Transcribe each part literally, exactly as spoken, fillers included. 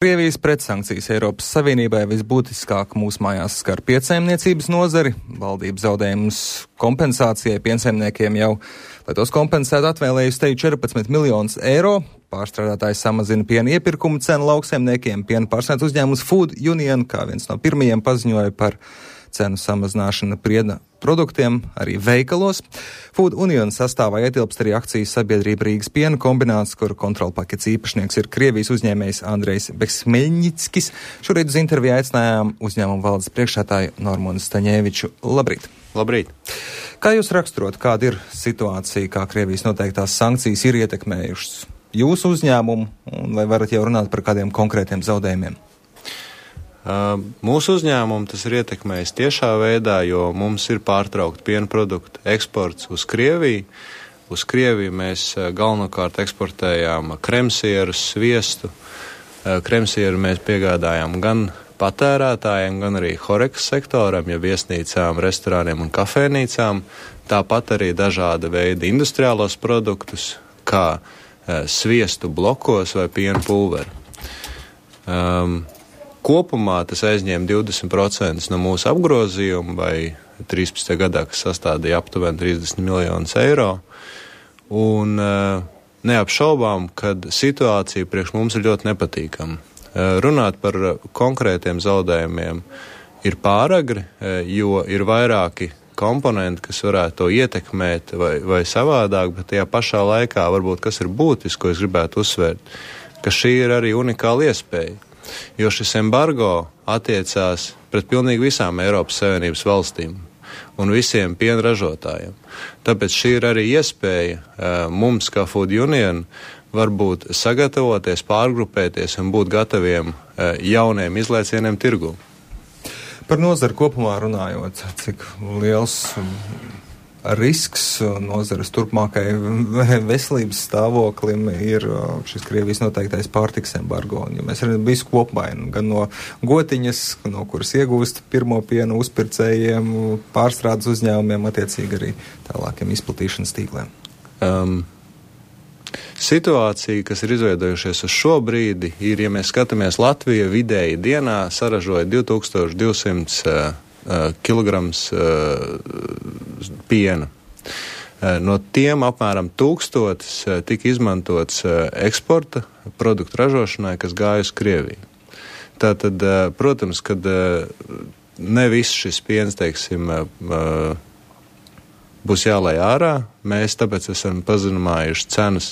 Krievijas pretsankcijas Eiropas Savienībai visbūtiskāk mūsu mājās skar piensaimniecības nozari. Valdība zaudējumus kompensācijai piensaimniekiem jau, lai tos kompensētu, atvēlējusi te četrpadsmit miljonus eiro. Pārstrādātājs samazina piena iepirkumu cenu lauksaimniekiem. Piena pārsniedz uzņēmums Food Union, kā viens no pirmajiem paziņoja par cenu samazināšanu piena produktiem arī veikalos. Food Union sastāvā ietilpst arī akcijas sabiedrība Rīgas piena kombināts, kuru kontrolpakets īpašnieks ir Krievijas uzņēmējs Andrejs Beksmeļņickis. Šorīt uz interviju aicinājām uzņēmumu valdes priekšsēdētāju Normunu Staņēviču. Labrīt! Labrīt! Kā jūs raksturot, kāda ir situācija, kā Krievijas noteiktās sankcijas ir ietekmējušas jūsu uzņēmumu, un vai varat jau runāt par kādiem konkrētiem zaudējumiem? Uh, mūsu uzņēmumu tas ir ietekmējis tiešā veidā, jo mums ir pārtraukta piena produktu eksports uz Krieviju. Uz Krieviju mēs uh, galvenokārt eksportējām kremsierus, sviestu. Uh, kremsieru mēs piegādājām gan patērētājiem, gan arī horekas sektoram, ja viesnīcām, restorāniem un kafēnīcām. Tāpat arī dažāda veida industriālos produktus, kā uh, sviestu blokos vai piena pulveri. Um, Kopumā tas aizņēma divdesmit procentus no mūsu apgrozījuma, vai trīspadsmitajā gadā, kas sastādīja aptuveni trīsdesmit miljonus eiro. Un neapšaubām, kad situācija priekš mums ir ļoti nepatīkama. Runāt par konkrētiem zaudējumiem ir pāragri, jo ir vairāki komponenti, kas varētu to ietekmēt vai, vai savādāk, bet tajā pašā laikā varbūt kas ir būtiski, ko es gribētu uzsvērt, ka šī ir arī unikāla iespēja. Jo šis embargo attiecās pret pilnīgi visām Eiropas Savienības valstīm un visiem piena ražotājiem. Tāpēc šī ir arī iespēja uh, mums, kā Food Union, varbūt sagatavoties, pārgrupēties un būt gataviem uh, jauniem izlaicieniem tirgū. Par nozari kopumā runājot, cik liels risks nozares turpmākai veselības stāvoklim ir šis Krievijas noteiktais pārtiks embargo. Ja mēs redzam visu kopumā, gan no gotiņas, no kuras iegūst pirmo pienu uzpircējiem, pārstrādes uzņēmumiem, attiecīgi arī tālākiem izplatīšanas tīkliem. Um. Situācija, kas ir izveidojušies uz šo brīdi, ir, ja mēs skatāmies, Latvija vidēji dienā saražoja divi tūkstoši divsimt uh, kilograms uh, piena. Uh, no tiem apmēram tūkstotis uh, tika izmantots uh, eksporta produktu ražošanai, kas gāja uz Krieviju. Tātad, uh, protams, kad uh, ne viss šis piens, teiksim, uh, būs jālai ārā, mēs tāpēc esam pazeminājuši cenas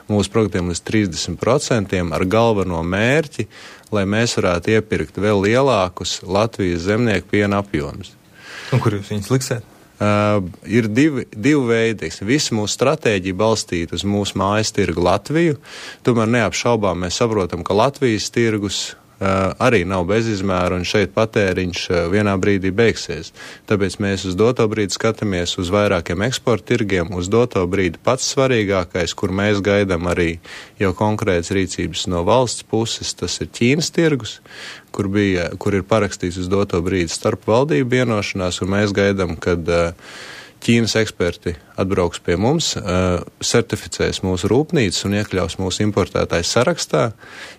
mūsu produktiem līdz trīsdesmit procentiem ar galveno mērķi, lai mēs varētu iepirkt vēl lielākus Latvijas zemnieku piena apjomus. Un kur jūs viņus liksiet? Uh, ir divi, divi veidi. Visa mūsu stratēģija balstīta uz mūsu mājas tirgu Latviju. Tomēr neapšaubām mēs saprotam, ka Latvijas tirgus Uh, arī nav bezizmēra, un šeit patēriņš uh, vienā brīdī beigsies. Tāpēc mēs uz doto brīdi skatāmies uz vairākiem eksporta tirgiem, uz doto brīdi pats svarīgākais, kur mēs gaidām arī jau konkrētas rīcības no valsts puses, tas ir Ķīnas tirgus, kur, bija, kur ir parakstīts uz doto brīdi starp valdību vienošanās, un mēs gaidām, kad uh, Ķīnas eksperti atbrauks pie mums, uh, certificēs mūsu rūpnīcas un iekļaus mūsu importētājs sarakstā,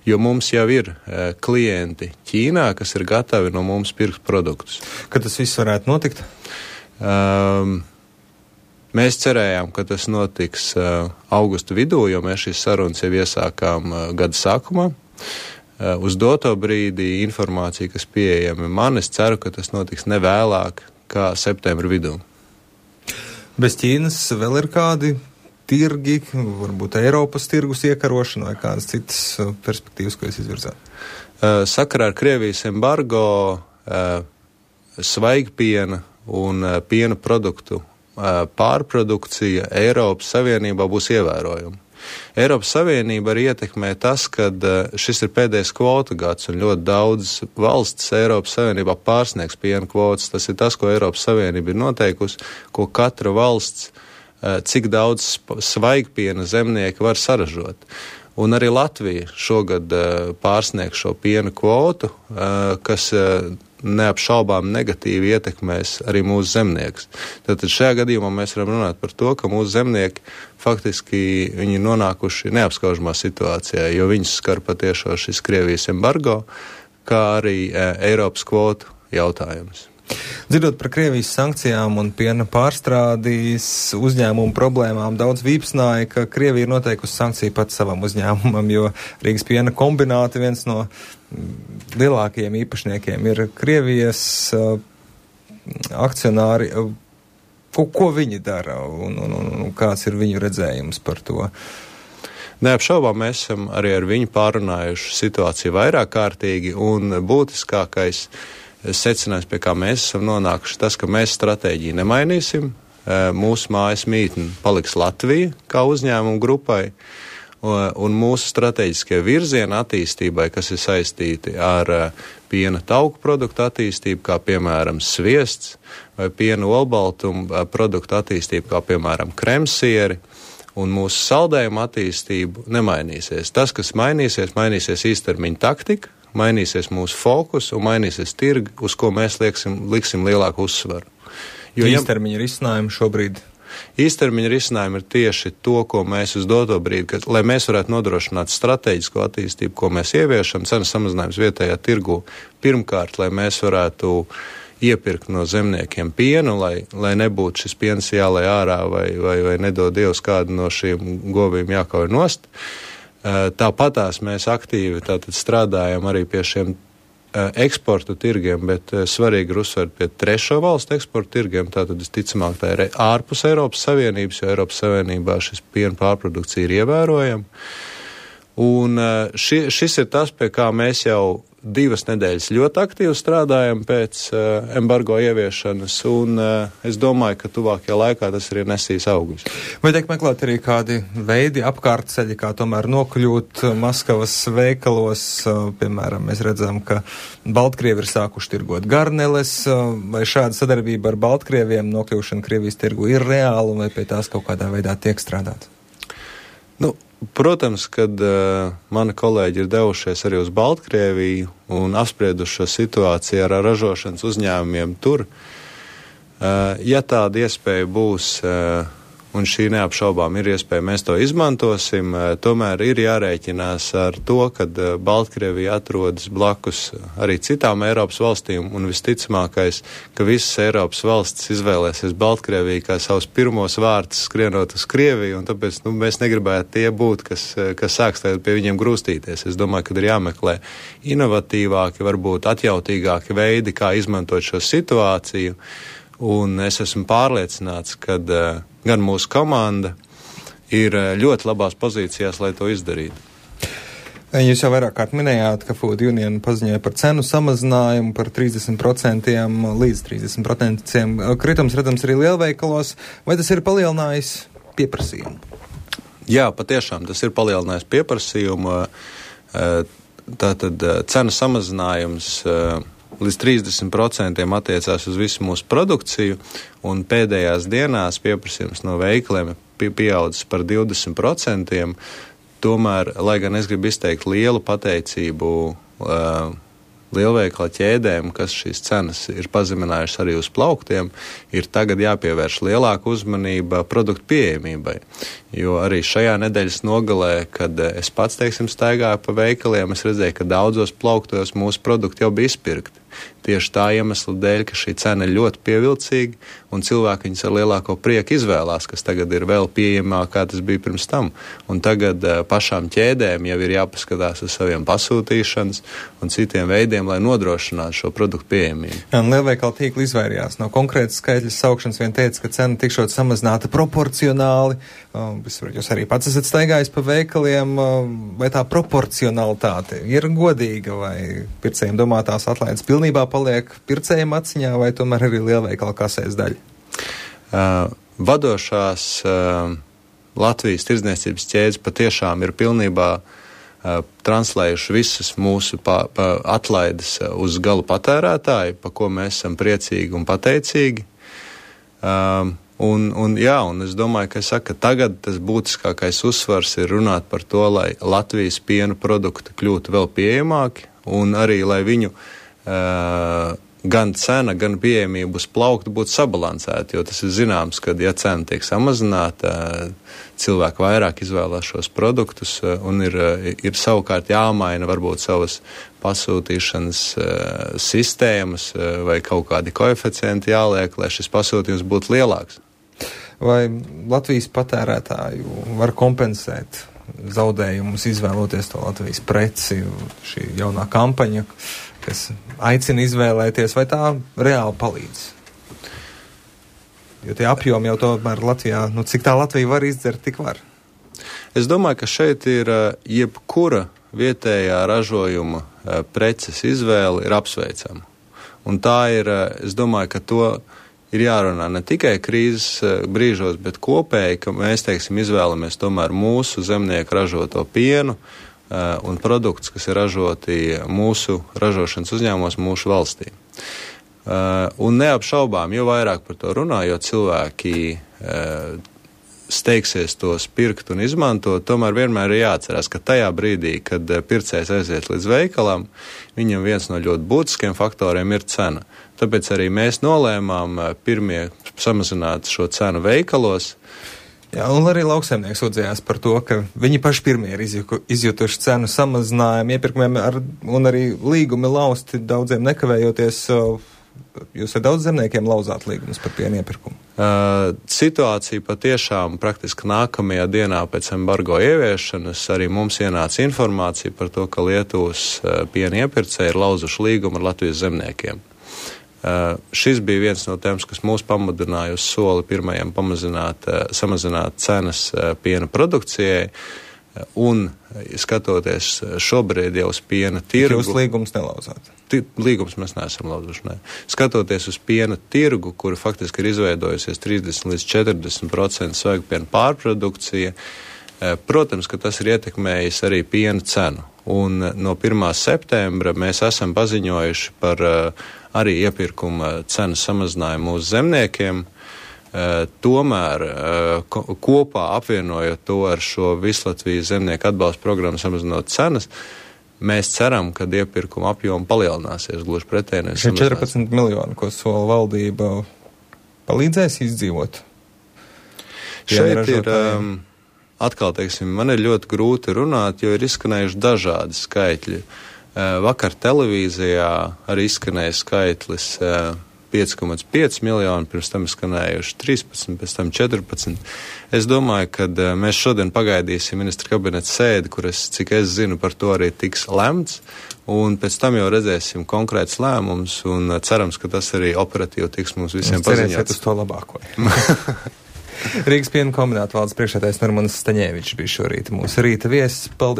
jo mums jau ir uh, klienti Ķīnā, kas ir gatavi no mums pirkt produktus. Kad tas viss varētu notikt? Um, mēs cerējām, ka tas notiks uh, augusta vidū, jo mēs šīs sarunas jau iesākām uh, gada sākumā. Uh, uz doto brīdi informācija, kas pieejama man, es ceru, ka tas notiks nevēlāk kā septembra vidū. Bez Ķīnas vēl ir kādi tirgi, varbūt Eiropas tirgus iekarošana vai kādas citas perspektīvas, ko jūs izvirzāt? Uh, sakarā ar Krievijas embargo uh, svaigpiena un uh, piena produktu uh, pārprodukcija Eiropas Savienībā būs ievērojama. Eiropas Savienība arī ietekmē tas, ka šis ir pēdējais kvota gads un ļoti daudz valsts Eiropas Savienībā pārsniegs piena kvotas. Tas ir tas, ko Eiropas Savienība ir noteikusi, ko katra valsts, cik daudz svaigpiena zemnieki var saražot. Un arī Latvija šogad pārsniegs šo piena kvotu, kas neapšaubām negatīvi ietekmēs arī mūsu zemniekus. Tātad šajā gadījumā mēs varam runāt par to, ka mūsu zemnieki faktiski viņi ir nonākuši neapskaužamā situācijā, jo viņus skar patiešo šis Krievijas embargo, kā arī e, Eiropas kvotu jautājums. Dzirdot par Krievijas sankcijām un piena pārstrādīs uzņēmumu problēmām, daudz vīpsnāja, ka Krievija ir noteikusi sankciju pats savam uzņēmumam, jo Rīgas piena kombināti viens no lielākajiem īpašniekiem ir Krievijas uh, akcionāri. Uh, ko, ko viņi dara un, un, un, un kāds ir viņu redzējums par to? Neapšaubām mēs esam arī ar viņu pārunājuši situāciju vairāk kārtīgi, un būtiskākais secinājums, pie kā mēs esam nonākuši, tas, ka mēs stratēģiju nemainīsim, mūsu mājas mītne paliks Latvija kā uzņēmumu grupai, un mūsu strateģiskie virzieni attīstībai, kas ir saistīti ar piena tauku produktu attīstību, kā piemēram sviests, vai piena olbaltumu produktu attīstību, kā piemēram kremsieri, un mūsu saldējuma attīstību nemainīsies. Tas, kas mainīsies, mainīsies īstermiņa taktika, mainīsies mūsu fokus un mainīsies tirgi, uz ko mēs lieksim, liksim lielāku uzsvaru. Jo īstermiņa risinājumi šobrīd? Īstermiņa risinājumi ir tieši to, ko mēs uz doto brīdi, ka, lai mēs varētu nodrošināt strateģisko attīstību, ko mēs ieviešam, cenas samazinājums vietējā tirgu. Pirmkārt, lai mēs varētu iepirkt no zemniekiem pienu, lai, lai nebūtu šis piens jālai ārā vai, vai, vai nedod Dievs kādu no šiem govīm jākauj nost. Tāpatās mēs aktīvi tātad strādājam arī pie šiem eksportu tirgiem, bet svarīgi ir uzsvērt pie trešo valstu eksportu tirgiem, tātad visticamāk tā ir ārpus Eiropas Savienības, jo Eiropas Savienībā šis piena pārprodukcija ir ievērojama. Un ši, šis ir tas, pie kā mēs jau divas nedēļas ļoti aktīvi strādājam pēc uh, embargo ieviešanas, un uh, es domāju, ka tuvākajā laikā tas arī nesīs augļus. Vai tiek meklēt arī kādi veidi, apkārtceļi, kā tomēr nokļūt Maskavas veikalos? Uh, piemēram, mēs redzam, ka Baltkrievi ir sākuši tirgot garneles, uh, vai šāda sadarbība ar Baltkrieviem nokļūšana Krievijas tirgu ir reāla, vai pie tās kaut kādā veidā tiek strādāt? Nu, protams, kad uh, mani kolēģi ir devušies arī uz Baltkrieviju un apsprieduši šo situāciju ar ražošanas uzņēmumiem tur, uh, ja tāda iespēja būs, uh, un šī neapšaubām ir iespēja, mēs to izmantosim, uh, tomēr ir jārēķinās ar to, kad uh, Baltkrievija atrodas blakus arī citām Eiropas valstīm, un visticamākais, ka visas Eiropas valstis izvēlēsies Baltkrieviju kā savus pirmos vārtus skrienot uz Krieviju, un tāpēc nu, mēs negribētu tie būt, kas, kas sāks tagad pie viņiem grūstīties. Es domāju, ka ir jāmeklē inovatīvāki, varbūt atjautīgāki veidi, kā izmantot šo situāciju, un es esmu pārliecināts, ka uh, gan mūsu komanda ir ļoti labās pozīcijās, lai to izdarītu. Jūs jau vairāk kārt minējāt, ka Food Union paziņoja par cenu samazinājumu par trīsdesmit procentiem līdz trīsdesmit procentiem. Kritums redzams arī lielveikalos. Vai tas ir palielinājis pieprasījumu? Jā, patiešām tas ir palielinājis pieprasījumu. Tātad cenu samazinājums līdz trīsdesmit procentiem attiecās uz visu mūsu produkciju, un pēdējās dienās pieprasījums no veikaliem ir pieaudzis par divdesmit procentiem. Tomēr, lai gan es gribu izteikt lielu pateicību uh, lielveikala ķēdēm, kas šīs cenas ir pazeminājušas arī uz plauktiem, ir tagad jāpievērš lielāka uzmanība produktu pieejamībai. Jo arī šajā nedēļas nogalē, kad es pats, teiksim, staigāju pa veikaliem, es redzēju, ka daudzos plauktos mūsu produkti jau bija izpirkti. Tieši tā iemesla dēļ, ka šī cena ir ļoti pievilcīga, un cilvēki viņus ar lielāko prieku izvēlās, kas tagad ir vēl pieejamāk, kā tas bija pirms tam. Un tagad uh, pašām ķēdēm jau ir jāpaskatās uz saviem pasūtīšanas un citiem veidiem, lai nodrošinātu šo produktu pieejamību. Jā, un lielveikala tīkli izvairījās no konkrētas skaitļas saukšanas, vien teica, ka cena tikšot samazināta proporcionāli. Uh, jūs arī pats esat staigājis pa veikaliem, uh, vai tā proporcionalitāte ir godīga, vai pircējiem domātās atlaides pilnībā paliek pircējiem aciņā, vai tomēr arī lielveikala kasēs daļa? Uh, vadošās uh, Latvijas tirdzniecības ķēdes patiešām ir pilnībā uh, translējuši visas mūsu pa, pa atlaides uz galu patērētāju, pa ko mēs esam priecīgi un pateicīgi. Uh, un, un, jā, un es domāju, ka, saka, ka tagad tas būtiskākais uzsvars ir runāt par to, lai Latvijas piena produkti kļūtu vēl pieejamāki, un arī, lai viņu Uh, gan cena, gan pieejamība uz plauktu būtu sabalansēta, jo tas ir zināms, ka, ja cena tiek samazināta, cilvēki vairāk izvēlās šos produktus un ir, ir savukārt jāmaina varbūt savas pasūtīšanas sistēmas vai kaut kādi koeficienti jāliek, lai šis pasūtījums būtu lielāks. Vai Latvijas patērētāju var kompensēt zaudējumus, izvēloties to Latvijas preci, šī jaunā kampaņa, kas aicina izvēlēties, vai tā reāli palīdz? Jo tie apjomi jau tomēr Latvijā, nu cik tā Latvija var izdzert, tik var. Es domāju, ka šeit ir jebkura vietējā ražojuma preces izvēle ir apsveicama. Un tā ir, es domāju, ka to ir jārunā ne tikai krīzes brīžos, bet kopēji, ka mēs, teiksim, izvēlamies tomēr mūsu zemnieku ražoto pienu uh, un produktus, kas ir ražoti mūsu ražošanas uzņēmumos, mūsu valstī. Uh, un neapšaubām, jo vairāk par to runā, jo cilvēki uh, steigsies tos pirkt un izmantot, tomēr vienmēr ir jāatcerās, ka tajā brīdī, kad pircējs aiziet līdz veikalam, viņam viens no ļoti būtiskiem faktoriem ir cena. Tāpēc arī mēs nolēmām pirmie samazināt šo cenu veikalos. Jā, un arī lauksaimnieks sūdzējās par to, ka viņi paši pirmie ir izjutuši cenu samazinājumu iepirkumiem ar, un arī līgumi lausti daudziem nekavējoties. Jūs ar daudz zemniekiem lauzāt līgumus par piena iepirkumu? Uh, situācija patiešām praktiski nākamajā dienā pēc embargo ieviešanas arī mums ienāca informācija par to, ka Lietuvas uh, piena iepircēji ir lauzuši līgumu ar Latvijas zemniekiem. Uh, šis bija viens no tēmas, kas mūs pamudināja uz soli pirmajam pamazināt, uh, samazināt cenas uh, piena produkcijai. Un skatoties šobrīd jau uz piena tirgu. Jūs līgumus nelauzāt? Līgumus mēs neesam lauzuši, ne. Skatoties uz piena tirgu, kura faktiski ir izveidojusies trīsdesmit līdz četrdesmit procenti svaigpiena pārprodukcija, protams, ka tas ir ietekmējis arī piena cenu. Un no pirmā septembra mēs esam paziņojuši par arī iepirkuma cenu samazinājumu mūsu zemniekiem. Uh, tomēr uh, ko, kopā apvienojot to ar šo Vislatvijas zemnieku atbalsta programmu samazinot cenas, mēs ceram, ka iepirkuma apjoma palielināsies, gluži pretēji. Šie četrpadsmit miljoni, ko sola valdība, palīdzēs izdzīvot? Šeit ir, um, atkal teiksim, man ir ļoti grūti runāt, jo ir izskanējuši dažādi skaitļi. Uh, vakar televīzijā arī izskanēja skaitlis uh, pieci komats pieci miljoni, pirms tam skanējuši trīspadsmit, pēc tam četrpadsmit. Es domāju, ka mēs šodien pagaidīsim ministra kabineta sēdi, kur es, cik es zinu, par to arī tiks lemts, un pēc tam jau redzēsim konkrēts lēmums, un cerams, ka tas arī operatīvi tiks mums visiem paziņots. Cerēsiet uz to labāko. Rīgas piena kombināta valdes priekšsēdētājs Normans Staņēvičs bija šorīt mūsu rīta viesis. Paldies!